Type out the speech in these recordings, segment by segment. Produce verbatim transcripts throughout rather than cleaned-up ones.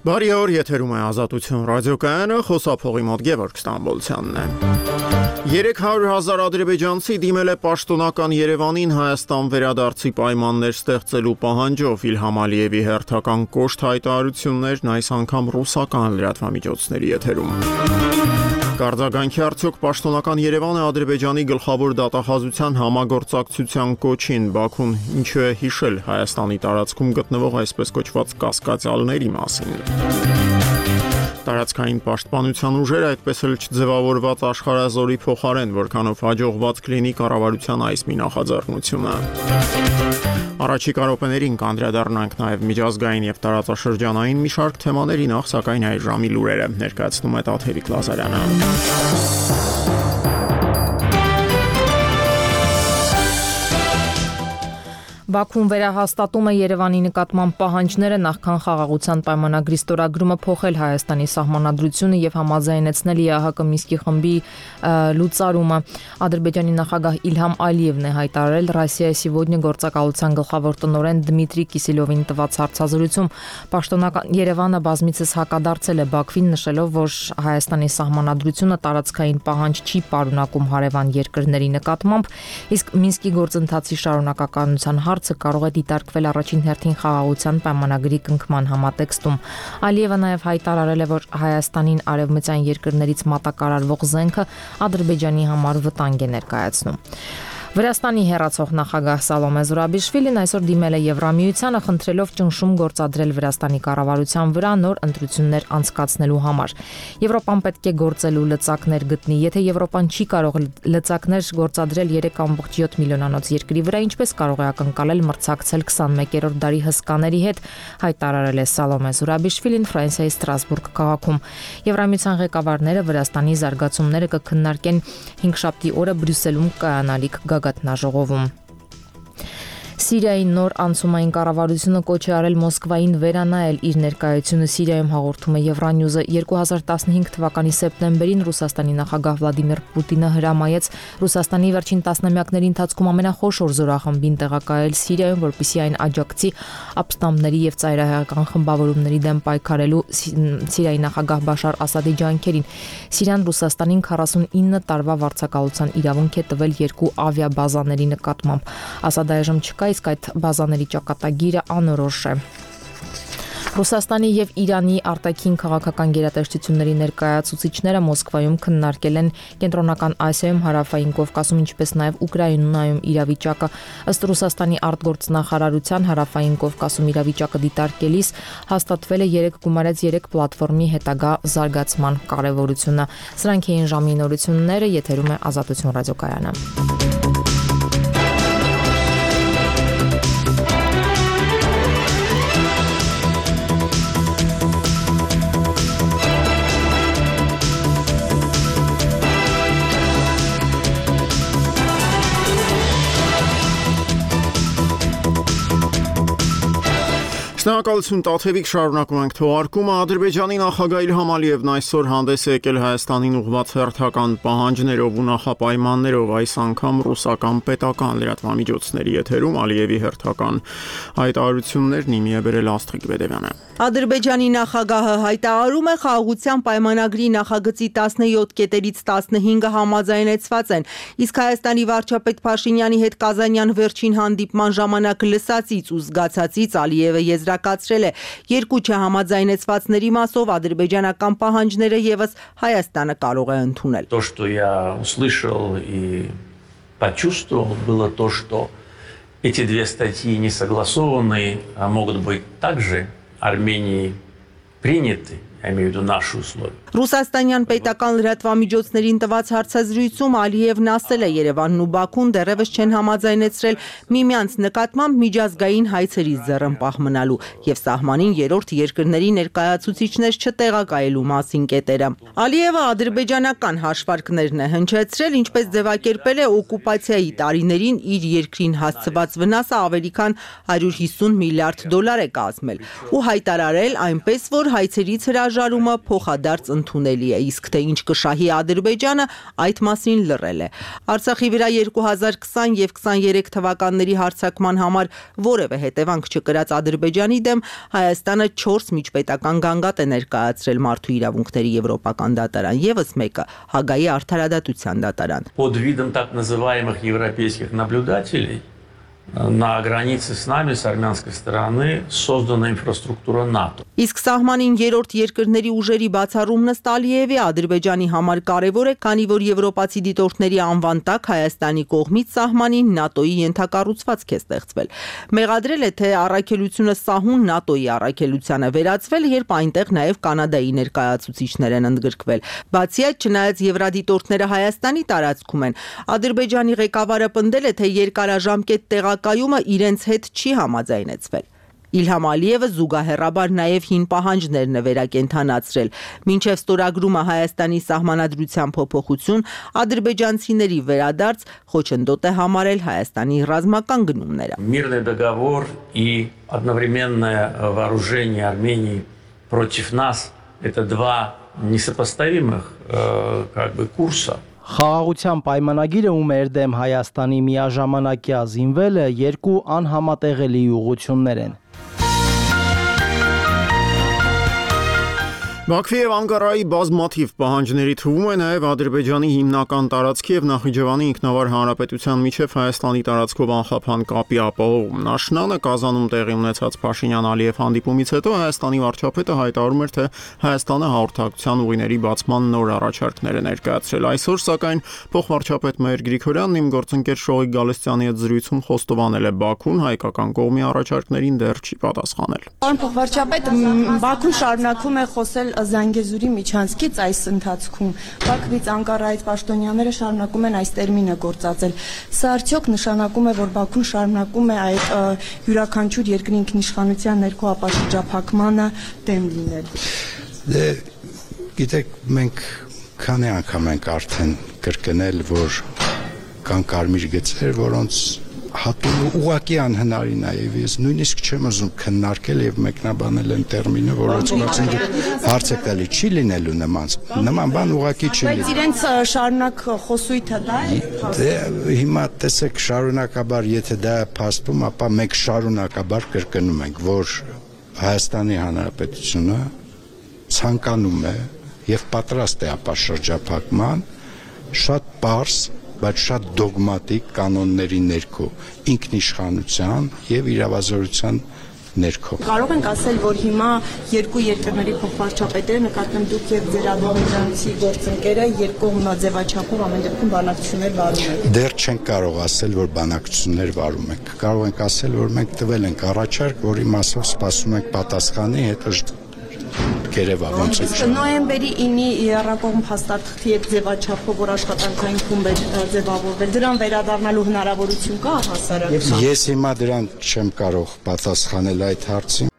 Բարի օր, եթերում է Ազատություն ռադիոկայանը, խոսափողի մոտ Գևորգ Ստամբոլցյանն է։ երեք հարյուր հազար ադրբեջանցի դիմել է պաշտոնական Երևանին Հայաստան վերադարձի պայմաններ ստեղծելու պահանջով Իլհամ Ալիևի հերթական կոշտ հայտարարություններն այս անգամ ռուսական լրատվամիջոցների եթերում։ Կարձագանքի արդյոք պաշտոնական Երևանը Ադրբեջանի գլխավոր դատախազության համագործակցության կոչին Բաքուն ինչու է հիշել Հայաստանի տարածքում գտնվող այսպես կոչված կասկածյալների մասին։ Տարածքային պաշտպանության ուժերը այդպես էլ չձևավորված աշխարհազորի փոխարեն, որքանով հաջողված կլինի կառավարության այս մի նախաձեռնությունը։ Առաջիկա րոպեներին կանդրադառնանք նաև միջազգային եւ տարածաշրջանային մի շարք թեմաների, նախ սակայն այս ժամի լուրերը ներկայացնում է Տաթևիկ Լազարյանը։ Բաքուն վերահաստատում է Երևանի նկատմամբ պահանջները նախքան խաղաղության պայմանագրի ստորագրումը փոխել Հայաստանի սահմանադրությունը եւ համաձայնեցնել ԵԱՀԿ Մինսկի խմբի լուծարումը։ Ադրբեջանի նախագահ Իլհամ Ալիևն է հայտարարել Ռոսիայի Սիվոդնյա գործակալության գլխավոր տնօրեն Դմիտրի Կիսելովին տված հարցազրույցում։ Պաշտոնական Երևանը բազմիցս հակադարձել է Բաքվին, նշելով, որ Հայաստանի սահմանադրությունը տարածքային պահանջ չի պարունակում հարևան երկրների նկատմամբ, իսկ Մինսկի գործընթացի շարունակականության հարցը կարող է դիտարկվել առաջին հերթին խաղաղության պայմանագրի կնքման համատեքստում։ Ալիևը նաև հայտարարել է, որ Հայաստանին արևմտյան երկրներից մատակարարվող զենքը Ադրբեջանի համար վտանգ է ներկայացնում։ Վրաստանի հեռացող նախագահ Սալոմե Զուրաբիշվիլին այսօր դիմել է Եվրամիությանը, խնդրելով ճնշում գործադրել Վրաստանի կառավարության վրա նոր ընտրություններ անցկացնելու համար։ Եվրոպան պետք է գործելու լծակներ գտնի։ Եթե Եվրոպան չի կարող լծակներ գործադրել երեք կόμma յոթ միլիոնանոց երկրի վրա, ինչպես կարող է ակնկալել մրցակցել քսանմեկերորդ դարի հսկաների հետ, հայտարարել է Սալոմե Զուրաբիշվիլին Ֆրանսիայի Ստրասբուրգ քաղաքում։ Եվրամիության ղեկավարները Վրաստանի զարգացումները կքննարկեն հինգշաբթի օրը Բրյուսելում կայանալիք գագաթնաժողովում։ Սիրիայի նոր անցումային կառավարությունը կոչ է արել Մոսկվային վերանայել իր ներկայությունը Սիրիայում, հաղորդում է Եվրանյուզը։ երկու հազար տասնհինգ թվականի սեպտեմբերին Ռուսաստանի նախագահ Վլադիմիր Պուտինը հրամայեց Ռուսաստանի վերջին տասնամյակների ընթացքում ամենախոշոր զորախմբին տեղակայել Սիրիայում, որպեսզի այն աջակցի ապստամբների եւ ծայրահեղական խմբավորումների դեմ պայքարելու Սիրիայի նախագահ Բաշար Ասադի ջանքերին։ Սիրիան Ռուսաստանին քառասունինը տարվա վարձակալության իրավունք է տվել երկու ավիաբազաների նկատմամբ։ Ասադը այժմ չկա, իսկ այդ բազաների ճակատագիրը անորոշ է։ Ռուսաստանի եւ Իրանի արտաքին քաղաքական գերատեսչությունների ներկայացուցիչները Մոսկվայում քննարկել են Կենտրոնական Ասիայում, Հարավային Կովկասում, ինչպես նաեւ Ուկրաինայում իրավիճակը։ Ըստ Ռուսաստանի արտգործնախարարության Հարավային Կովկասում իրավիճակը դիտարկելիս հաստատվել է երեք գումարած երեք պլատֆորմի հետագա զարգացման կարեւորությունը։ Սրանք էին ժամի նորությունները, եթերում է Ազատություն ռադիոկայանը։ Շնորհակալություն Տաթևիկ, շարունակում ենք թողարկումը։ Ադրբեջանի նախագահ Իլհամ Ալիևն այսօր հանդես է եկել Հայաստանին ուղղված հերթական պահանջներով ու նախապայմաններով, այս անգամ ռուսական պետական լրատվամիջոցների եթերում Ալիևի հերթական հայտարարություններն իմի է բերել Աստղիկ Բեդևյանը։ Ադրբեջանի նախագահը հայտարարում է խաղաղության պայմանագրի նախագծի տասնյոթ կետերից տասնհինգը համաձայնեցված են, իսկ Հայաստանի վարչապետ Փաշինյանի հետ Կազանյան վերջին հանդիպման ժամանակ լսածից ու զգացածից Ալիևը եզրակացրել է, երկու չհամաձայնեցվածների մասով ադրբեջանական պահանջները եւս Հայաստանը կարող է ընդունել։ То, что я услышал и почувствовал, было то, что эти две статьи не согласованы, а могут быть также Армении приняты, я имею в виду наши условия. Ռուսաստանյան պետական լրատվամիջոցներին տված հարցազրույցում Ալիևն ասել է Երևանն ու Բաքուն դեռևս չեն համաձայնեցրել միմյանց նկատմամբ միջազգային հայցերի ձեռնպահ մնալու եւ սահմանին երրորդ երկրների ներկայացուցիչներ չտեղակայելու մասին կետերը։ Ալիևը ադրբեջանական հաշվարկներն է հնչեցրել, ինչպես ձևակերպել է օկուպացիայի տարիներին իր երկրին հասցված վնասը ավելի քան հարյուր հիսուն միլիարդ դոլար է կազմել ու հայտարարել այնպես, որ հայցերից հրաժարվել հրաժարումը փոխադարձ ընդունելի է, իսկ թե ինչ կշահի Ադրբեջանը, այդ մասին լռել է։ Արցախի վրա երկու հազար քսան և քսաներեք թվականների հարձակման համար որևէ հետևանք չկրած Ադրբեջանի դեմ Հայաստանը չորս միջպետական գանգատ է ներկայացրել Մարդու իրավունքների եվրոպական դատարան, ևս մեկը Հագայի արդարադատության դատարան։ Под видом так называемых европейских наблюдателей на границе с нами, с армянской стороны, создана инфраструктура НАТО. Իսկ սահմանին երրորդ երկրների ուժերի բացառումն ըստ Ալիևի Ադրբեջանի համար կարևոր է, քանի որ եվրոպացի դիտորդների անվան տակ Հայաստանի կողմից սահմանին ՆԱՏՕ-ի ենթակառուցվածք է ստեղծվել։ Մեղադրել է, թե առաքելությունը սահուն ՆԱՏՕ-ի առաքելությանը վերածվել, երբ այնտեղ նաև Կանադայի ներկայացուցիչներ են ընդգրկվել։ Բացի այդ, չնայած եվրադիտորդները Հայաստանի տարածքում են, Ադրբեջանի ղեկավարը պնդել է, թե երկարաժամկետ տեղակայումը իրենց հետ չի համաձայնեցվել։ Իլհամ Ալիևը զուգահեռաբար նաև հին պահանջներն է վերակենդանացրել։ Մինչև ստորագրումը Հայաստանի սահմանադրության փոփոխություն, ադրբեջանցիների վերադարձ խոչընդոտ է համարել Հայաստանի ռազմական գնումները։ Мирный договор и одновременное вооружение Армении против нас – это два несопоставимых э, как бы курса. Խաղաղության պայմանագիրը ու մեր դեմ Հայաստանի միաժամանակյա զինվելը երկու անհամատեղելի ուղղություններ են։ Բաքվի և Անկարայի բազմաթիվ պահանջների թվում է նաև Ադրբեջանի հիմնական տարածքի և Նախիջևանի ինքնավար հանրապետության միջև Հայաստանի տարածքով անխափան կապի ապահովում։ Աշնանը Կազանում տեղի ունեցած Փաշինյան-Ալիև հանդիպումից հետո Հայաստանի վարչապետը հայտարարում էր, թե Հայաստանը հաղորդակցության ուղիների բացման նոր առաջարկներ է ներկայացրել։ Այսօր, սակայն, փոխվարչապետ Մհեր Գրիգորյանն իմ գործընկեր Շողիկ Գալստյանի հետ զրույցում խոստովանել է Բաքուն հայկական կողմի առաջարկներին դեռ չի պատասխանել։ Պարոն փոխվարչապետ, Բաքուն շարունակում է խոսել Զանգեզուրի միջանցքից այս ընթացքում Բաքվից Անկարայից պաշտոնյաները շարունակում են այս տերմինը գործածել։ Սա արդյոք նշանակում է, որ Բաքուն շարունակում է այդ յուրաքանչյուր երկրի ինքնիշխանության ներքո ապաշրջափակմանը դեմ լինել։ Դե գիտեք, մենք քանի անգամ ենք արդեն կրկնել, որ կան կարմիր գծեր, որոնց հատում ուղղակի անհնարին է, եւ ես նույնիսկ չեմ ուզում քննարկել եւ մեկնաբանել այն տերմինը, որոնց մասին հարց է տալի, չի լինելու նման նման բան ուղղակի չի լինի։ Բայց իրենց շարունակ խոսույթը դա է։ Դե հիմա տեսեք, շարունակաբար, եթե դա է փաստում, ապա մենք շարունակաբար կրկնում ենք, որ Հայաստանի Հանրապետությունը ցանկանում է եւ պատրաստ է ապաշրջափակման շատ պարզ, բայց շատ դոգմատիկ կանոնների ներքո, ինքնիշխանության եւ իրավազորության ներքո։ Կարող ենք ասել, որ հիմա երկու երկրների փոխվարչապետերը, նկատեմ դուք եւ ձեր ադրբեջանցի գործընկերը, երկկողմ ձևաչափով ամեն դեպքում բանակցություններ վարում են։ Դեռ չենք կարող ասել, որ բանակցություններ վարում ենք։ Կարող ենք ասել, որ մենք տվել ենք առաջարկ, որի մասով սպասում ենք պատասխանի, հետո Գերեվա ոնց է։ Նոյեմբերի ինի երրակողմ հաստատքի հետ ձևաչափով, որ աշխատանքային խումբ է ձևավորվել, դրան վերադառնալու հնարավորություն կա հասարակության։ Ես հիմա դրան չեմ կարող պատասխանել այդ հարցին։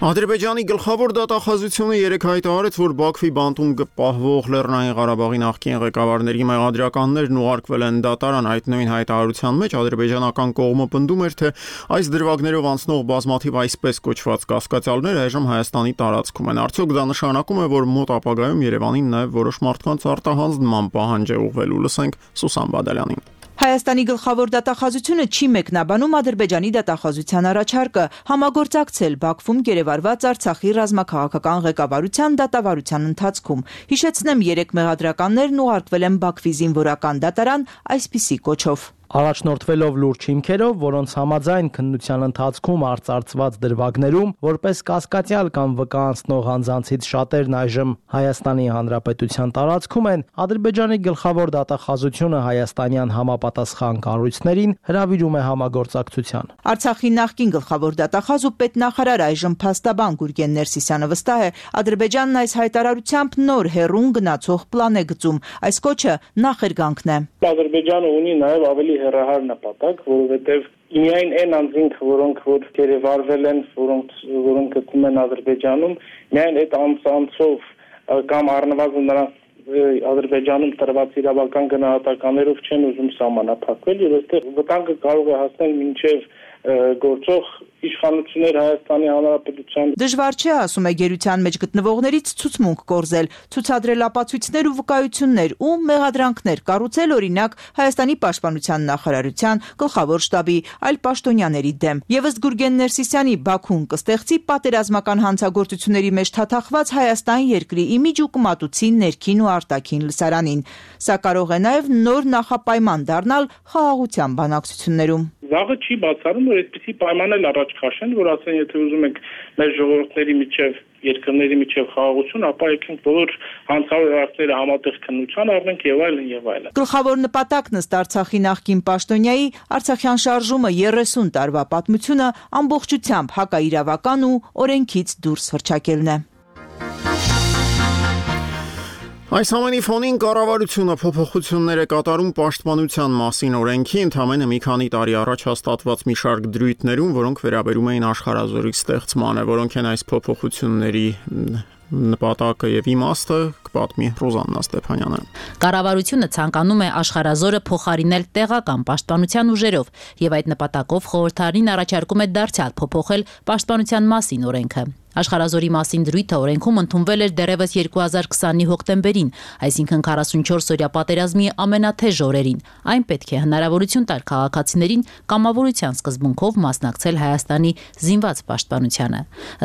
Ադրբեջանի գլխավոր դատախազությունը երեկ հայտարարեց, որ Բաքվի բանտում պահվող Լեռնային Ղարաբաղի նախկին ղեկավարների մեղադրականներն ուղարկվել են դատարան։ Այդ նույն հայտարարության մեջ ադրբեջանական կողմը պնդում էր, թե այս դրվագներով անցնող բազմաթիվ այսպես կոչված կասկածյալներ այժմ Հայաստանի տարածքում են։ Արդյոք դա նշանակում է, որ մոտ ապագայում Երևանին նաև որոշ մարդկանց արտահանձնման պահանջ է ուղղվելու։ Լսենք Սուսան Բադալյանին։ Հայաստանի գլխավոր դատախազությունը չի մեկնաբանում Ադրբեջանի դատախազության առաջարկը համագործակցել Բաքվում գերեվարված Արցախի ռազմաքաղաքական ղեկավարության դատավարության ընթացքում։ Հիշեցնեմ, երեք մեղադրականներն ուղարկվել են Բաքվի զինվորական դատարան այսպիսի կոչով։ Առաջնորդվելով լուրջ հիմքերով, որոնց համաձայն քննության ընթացքում արծարծված դրվագներում որպես կասկածյալ կամ վկա անցնող անձանցից շատերն այժմ Հայաստանի Հանրապետության տարածքում են, Ադրբեջանի գլխավոր դատախազությունը հայաստանյան համապատասխան կառույցներին հրավիրում է համագործակցության։ Արցախի նախկին գլխավոր դատախազ ու պետնախարար այժմ փաստաբան Գուրգեն Ներսիսյանը վստահ է, Ադրբեջանն այս հայտարարությամբ նոր հեռուն գնացող պլան է գծում։ Այս կոչը նախերգանքն է։ Ադրբեջանը ունի նաև ավելի հեռահար նպատակ, որովհետև միայն այն անձինք, որոնք որ գերեվարվել են, որոնք որոնք գտնվում են Ադրբեջանում, միայն այդ անձանցով կամ առնվազն նրանց Ադրբեջանում տրված իրավական գնահատականներով չեն ուզում սահմանափակվել, եւ այստեղ վտանգը կարող է հասնել մինչև գործող իշխանություններ Հայաստանի Հանրապետության։ Դժվար չէ, ասում է գերության մեջ գտնվողներից, ցուցմունք կորզել, ցուցադրել ապացույցներ ու վկայություններ ու մեղադրանքներ կառուցել, օրինակ Հայաստանի պաշտպանության նախարարության, գլխավոր շտաբի, այլ պաշտոնյաների դեմ։ Եվ ըստ Գուրգեն Ներսիսյանի, Բաքուն կստեղծի պատերազմական հանցագործությունների մեջ թաթախված Հայաստան երկրի իմիջ ու կմատուցի ներքին ու արտաքին լսարանին։ Սա կարող է նաև նոր նախապայման դառնալ խաղաղության բանակցություններում։ Վաղը չի բացառում, որ այդպիսի պայմաններ առաջ քաշեն, որ ասեն, եթե ուզում եք մեր ժողովուրդների միջև, երկրների միջև խաղաղություն, ապա եկենք բոլոր հանցավոր հարցերը համատեղ քննության առնենք եւ այլն եւ այլն։ Գլխավոր նպատակն ըստ Արցախի նախկին պաշտոնյայի Արցախյան շարժումը երեսուն տարվա պատմությունը ամբողջությամբ հակաիրավական ու օրենքից դուրս հռչակելն է։ Այս ամենի ֆոնին կառավարությունը փոփոխություններ է կատարում պաշտպանության մասին օրենքի, ընդամենը մի քանի տարի առաջ հաստատված մի շարք դրույթներում, որոնք վերաբերում էին աշխարհազորի ստեղծմանը, որոնք են այս փոփոխությունների նպատակը եւ իմաստը, կպատմի Ռոզաննա Ստեփանյանը։ Կառավարությունը ցանկանում է աշխարհազորը փոխարինել տեղական պաշտպանության ուժերով եւ այդ նպատակով խորհրդարանին առաջարկում է դարձյալ փոփոխել պաշտպանության մասին օրենքը։ Աշխարհազորի մասին դրույթը օրենքում ընդունվել էր դեռևս երկու հազար քսանի հոկտեմբերին, այսինքն քառասունչորս օրյա պատերազմի ամենաթեժ օրերին։ Այն պետք է հնարավորություն տար քաղաքացիներին կամավորության սկզբունքով մասնակցել Հայաստանի զինված պաշտպանությանը։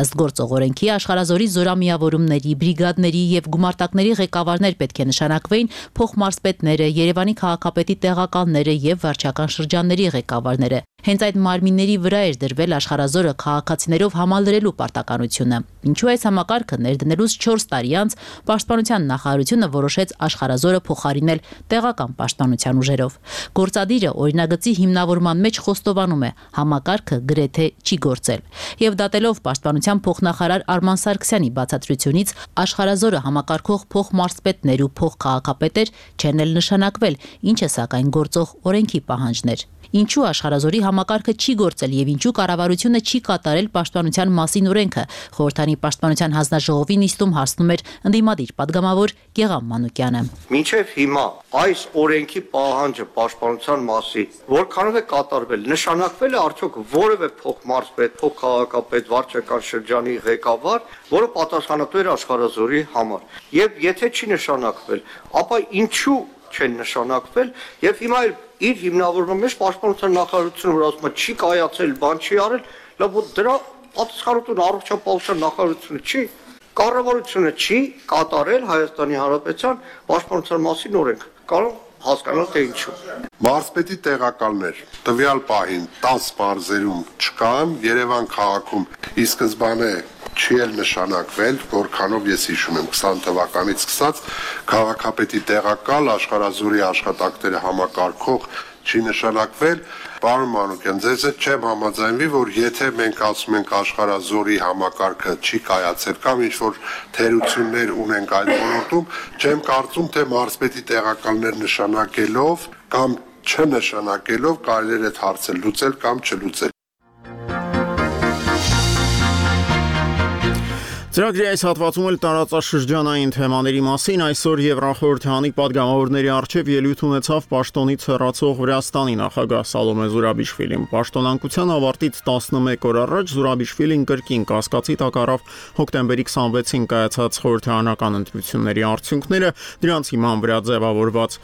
Ըստ գործող օրենքի աշխարհազորի զորամիավորումների, բրիգադների եւ գումարտակների ղեկավարներ պետք է նշանակվեին փոխմարզպետները, Երևանի քաղաքապետի տեղակալները եւ վարչական շրջանների ղեկավարները։ Հենց այդ մարմինների վրա էր դրվել աշխարհազորը քաղաքացիներով համալրելու պարտականությունը։ Ինչու այս համակարգը ներդնելուց չորս տարի անց Պաշտպանության նախարարությունը որոշեց աշխարհազորը փոխարինել տեղական պաշտպանության ուժերով։ Գործադիրը օրինագծի հիմնավորման մեջ խոստովանում է, համակարգը գրեթե չի գործել։ Եվ դատելով Պաշտպանության փոխնախարար Արման Սարգսյանի բացատրությունից, աշխարհազորը համակարգող փոխմարզպետներ ու փոխքաղաքապետեր չեն էլ նշանակվել, ինչը սակայն գործող օրենքի պահանջներ։ Ինչու աշխարհազորի համակարգը չի գործել եւ ինչու կառավարությունը չի կատարել պաշտպանության մասին օրենքը, խորհրդանի պաշտպանության հանձնաժողովի նիստում հարցնում էր ընդդիմադիր падգամավոր Գեղամ Մանուկյանը։ Մինչև հիմա այս օրենքի պահանջը պաշտպանության մասին որքանով է կատարվել, նշանակվել է արդյոք որևէ փոխմարզպետ, փոխքաղաքապետ, վարչական շրջանի ղեկավար, որը պատասխանատու էր աշխարհազորի համար։ Եվ եթե չի նշանակվել, ապա ինչու չեն նշանակվել եւ հիմա իր հիմնավորման մեջ պաշտպանության նախարարությունը որ ասում է չի կայացել, բան չի արել, լավ դրա պատասխանատուն առողջապահության նախարարությունը չի, կառավարությունը չի կատարել Հայաստանի Հանրապետության պաշտպանության մասին օրենք։ Կարող հասկանալ թե ինչու։ Մարզպետի տեղակալներ տվյալ պահին տասը մարզերում չկան, Երևան քաղաքում ի սկզբանե չի էլ նշանակվել, որքանով ես հիշում եմ քսան թվականից սկսած քաղաքապետի տեղակալ աշխարհազորի աշխատակները համակարգող չի նշանակվել։ Պարոն Մանուկյան, ձեզ հետ չեմ համաձայնվի, որ եթե մենք ասում ենք աշխարհազորի համակարգը չի կայացել կամ ինչ որ թերություններ ունենք այդ ոլորտում, չեմ կարծում, թե մարզպետի տեղակալներ նշանակելով կամ չնշանակելով կարելի է այդ հարցը լուծել կամ չլուծել։ Ծրագրի այս հատվածում էլ տարածաշրջանային թեմաների մասին այսօր Եվրախորհրդանի падգամավորների առջև ելույթ ունեցավ պաշտոնից հեռացող Վրաստանի նախագահ Սալոմե Զուրաբիշվիլին։ Պաշտոնանկության ավարտից տասնմեկ օր առաջ Զուրաբիշվիլին կրկին կասկածի տակ առավ հոկտեմբերի քսանվեցին կայացած խորհրդարանական ընտրությունների արդյունքները, դրանց հիման վրա ձևավորված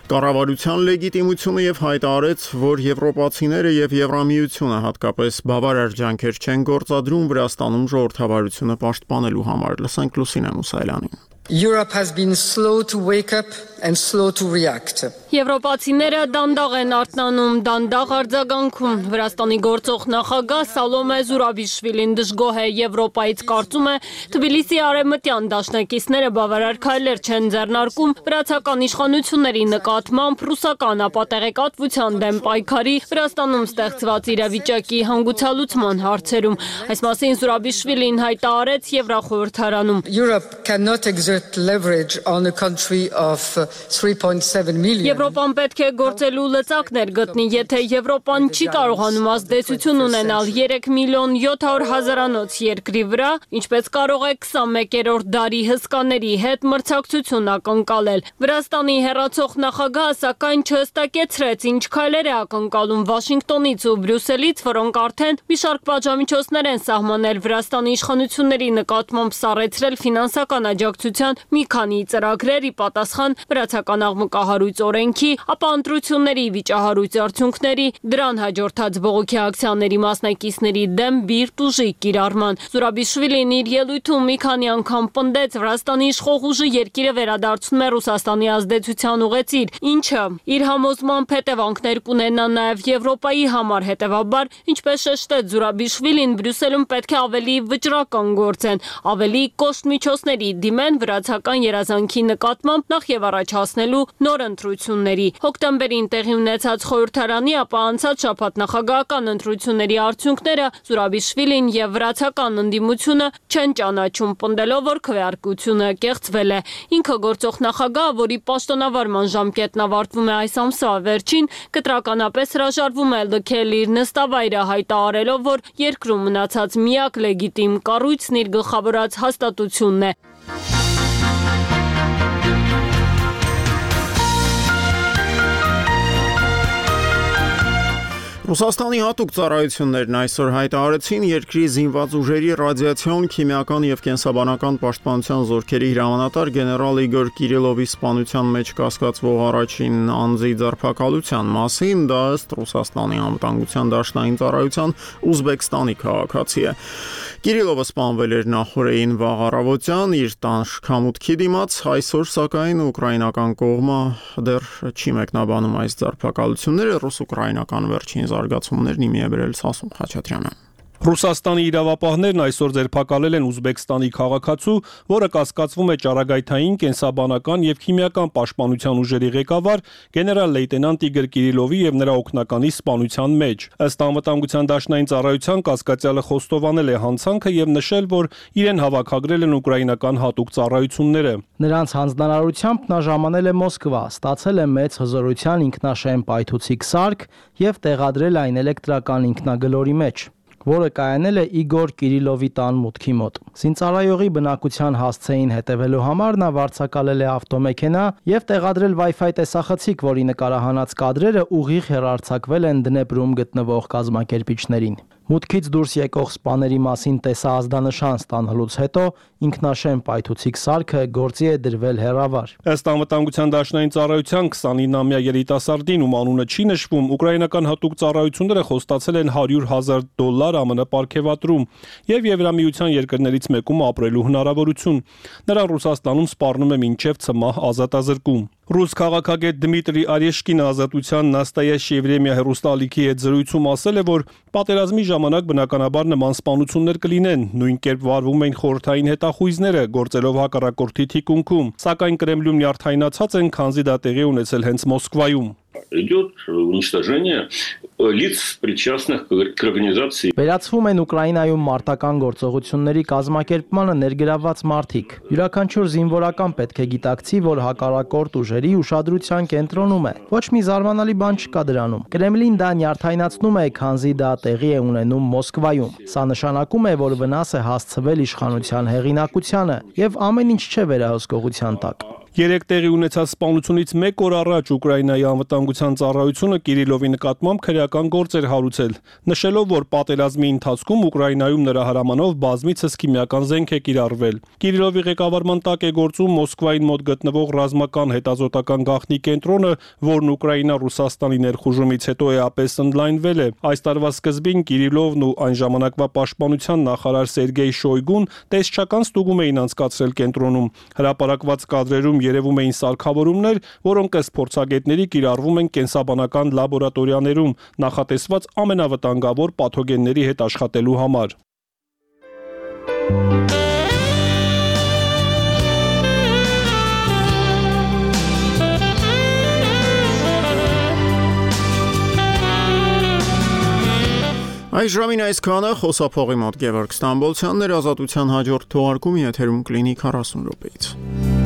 կառավարության լեգիտիմությունը եւ հայտարարեց, որ եվրոպացիները եւ Եվրամիությունը հատկապես բավարար ջանքեր չեն գործադրում Վրաստանում ժողովրդավարությունը պաշտպանելու համար։ Լսենք Լուսինե Մուսայելյանին։ Europe has been slow to wake up and slow to react. Եվրոպացիները դանդաղ են արթնանում, դանդաղ արձագանքում։ Վրաստանի գործող նախագահ Սալոմե Զուրաբիշվիլին դժգոհ է Եվրոպայից, կարծում է Թբիլիսի արևմտյան դաշնակիցները բավարար քայլեր չեն ձեռնարկում վրացական իշխանությունների նկատմամբ ռուսական ապատեղեկատվության դեմ պայքարի Վրաստանում ստեղծված իրավիճակի հանգուցալուծման հարցերում։ Այս մասին Զուրաբիշվիլին հայտարարեց Եվրախորհրդարանում։ Europe cannot exert leverage on a country of three point seven million. Եվրոպան պետք է գործելու լծակներ գտնի, եթե Եվրոպան չի կարողանում ազդեցություն ունենալ երեք միլիոն յոթ հարյուր հազարանոց երկրի վրա, ինչպես կարող է քսանմեկերորդ դարի հսկաների հետ մրցակցություն ակնկալել։ Վրաստանի հեռացող նախագահը սակայն չհստակեցրեց, ինչ քայլեր է ակնկալում Վաշինգտոնից ու Բրյուսելից, որոնք արդեն մի շարք պատժամիջոցներ են սահմանել Վրաստանի իշխանությունների նկատմամբ սառեցրել ֆինանսական աջակցության մի քանի ծրագրեր ի պատասխան վրացական աղմկահարույց օրենքի, ապա ընտրությունների վիճահարույց արդյունքների, դրան հաջորդած բողոքի ակցիաների մասնակիցների դեմ բիրտ ուժի կիրառման։ Զուրաբիշվիլին իր ելույթում մի քանի անգամ պնդեց Վրաստանի իշխող ուժը երկիրը վերադարձնում է Ռուսաստանի ազդեցության ուղեցիր, ինչը իր համոզմամբ հետևանքներ կունենա նաև Եվրոպայի համար, հետևաբար, ինչպես շեշտեց Զուրաբիշվիլին, Բրյուսելում պետք է ավելի վճռական գործեն, ավելի կոշտ միջոցների դիմեն վրացական երազանքի նկատմամբ նախ եւ առաջ հասնելու նոր ընտրությունների։ Հոկտեմբերին տեղի ունեցած խորհրդարանի, ապա անցած շաբաթ նախագահական ընտրությունների արդյունքները Զուրաբիշվիլին եւ վրացական ընդդիմությունը չեն ճանաչում, պնդելով, որ քվեարկությունը կեղծվել է։ Ինքը գործող նախագահը, որի պաշտոնավարման ժամկետն ավարտվում է այս ամսվա վերջին, կտրականապես հրաժարվում է լքել իր նստավայրը, հայտարարելով, որ երկրում մնացած միակ լեգիտիմ կառույցն իր գլխավորած հաստատությունն է։ Ռուսաստանի հատուկ ծառայություններն այսօր հայտարարեցին երկրի զինված ուժերի ռադիացիոն, քիմիական եւ կենսաբանական պաշտպանության զորքերի հրամանատար գեներալ Իգոր Կիրիլովի սպանության մեջ կասկածվող առաջին անձի ձերբակալության մասին, դա ըստ Ռուսաստանի անվտանգության դաշնային ծառայության Ուզբեկստանի քաղաքացի է։ Կիրիլովը սպանվել էր նախորդին վաղ առավոտյան իր տան շքամուտքի դիմաց, այսօր սակայն ուկրաինական կողմը դեռ չի մեկնաբանում այս ձերբակալությունները, ռուս-ուկրաինական վերջին զարգացումներն իմի է բերել Սասուն Խաչատրյանը։ Ռուսաստանի իրավապահներն այսօր ձերբակալել են Ուզբեկստանի քաղաքացու, որը կասկածվում է ճառագայթային, կենսաբանական եւ քիմիական պաշտպանության ուժերի ղեկավար գեներալ-լեյտենանտ Իգոր Կիրիլովի եւ նրա օգնականի սպանության մեջ։ Ըստ անվտանգության դաշնային ծառայության կասկածյալը խոստովանել է հանցանքը եւ նշել, որ իրեն հավաքագրել են ուկրաինական հատուկ ծառայությունները։ Նրանց հանձնարարությամբ նա ժամանել է Մոսկվա, ստացել է մեծ հզորության ինքնաշեն պայթուցիկ սարք եւ տեղադրել այն էլեկտրական ինքնագլորի մեջ, որը կայանել է Իգոր Կիրիլովի տան մուտքի մոտ։ Զինծառայողի բնակության հասցեին հետևելու համար նա վարձակալել է ավտոմեքենա եւ տեղադրել Wi-Fi տեսախցիկ, որի նկարահանած կադրերը ուղիղ հեռարձակվել են Դնեպրում գտնվող կազմակերպիչներին։ Մուտքից դուրս եկող սպաների մասին տեսահազդանշան ստանալուց հետո ինքնաշեն պայթուցիկ սարքը գործի է դրվել հեռավար։ Ըստ անվտանգության դաշնային ծառայության քսանինամյա երիտասարդին, ում անունը չի նշվում, ուկրաինական հատուկ ծառայությունները խոստացել են հարյուր հազար դոլար ԱՄՆ պարգևատրում եւ Եվրամիության երկրներից մեկում ապրելու հնարավորություն։ Նրան Ռուսաստանում սպառնում է մինչեւ ցմահ ազատազրկում։ Ռուս քաղաքագետ Դմիտրի Արեշկինը Ազատության Նաստայաշ Եվրեմիա հեռուստաալիքի հետ զրույցում ասել է, որ պատերազմի ժամանակ բնականաբար նման սպանություններ կլինեն, նույն կերպ վարվում են խորհրդային հետախույզները, գործելով հակառակորդի թիկունքում, սակայն Կրեմլում նյարդայնացած են, քանզի դա տեղի ունեցել հենց Մոսկվայում։ Идет уничтожение лиц, причастных к организации. Վերացվում են Ուկրաինայում մարտական գործողությունների կազմակերպմանը ներգրավված մարդիկ։ Յուրաքանչյուր զինվորական պետք է գիտակցի, որ հակառակորդ ուժերի ուշադրության կենտրոնում է։ Ոչ մի զարմանալի բան չկա դրանում։ Կրեմլին դա նյարդայնացնում է, քանզի դա տեղի է ունենում Մոսկվայում։ Սա նշանակում է, որ վնաս է հասցվել իշխանության հեղինակությանը եւ ամեն ինչ չէ վերահսկողության տակ։ Երեք տեղի ունեցած սպանությունից մեկ օր առաջ Ուկրաինայի անվտանգության ծառայությունը Կիրիլովի նկատմամբ քրեական գործ էր հարուցել, նշելով, որ պատերազմի ընթացքում Ուկրաինայում նրա հրամանով բազմիցս քիմիական զենք է կիրառվել։ Կիրիլովի ղեկավարման տակ է գործում Մոսկվային մոտ գտնվող ռազմական հետազոտական գաղտնի կենտրոնը, որն Ուկրաինա-Ռուսաստանի ներխուժումից հետո էապես ընդլայնվել է։ Այս տարվա սկզբին Կիրիլովն ու այն ժամանակվա պաշտպանության նախարար Սերգեյ Շոյգուն տեսչական ստուգում էին անցկացրել կենտրոնում։ Հրապարակված կադրերում երևում էին սարքավորումներ, որոնք ըստ փորձագետների կիրառվում են կենսաբանական լաբորատորիաներում, նախատեսված ամենավտանգավոր պաթոգենների հետ աշխատելու համար։ Այս ժամին այսքանը, խոսափողի մոտ Գևորգ Ստամբոլցյանն էր, Ազատության հաջորդ թողարկումը եթերում կլինի քառասուն րոպեից։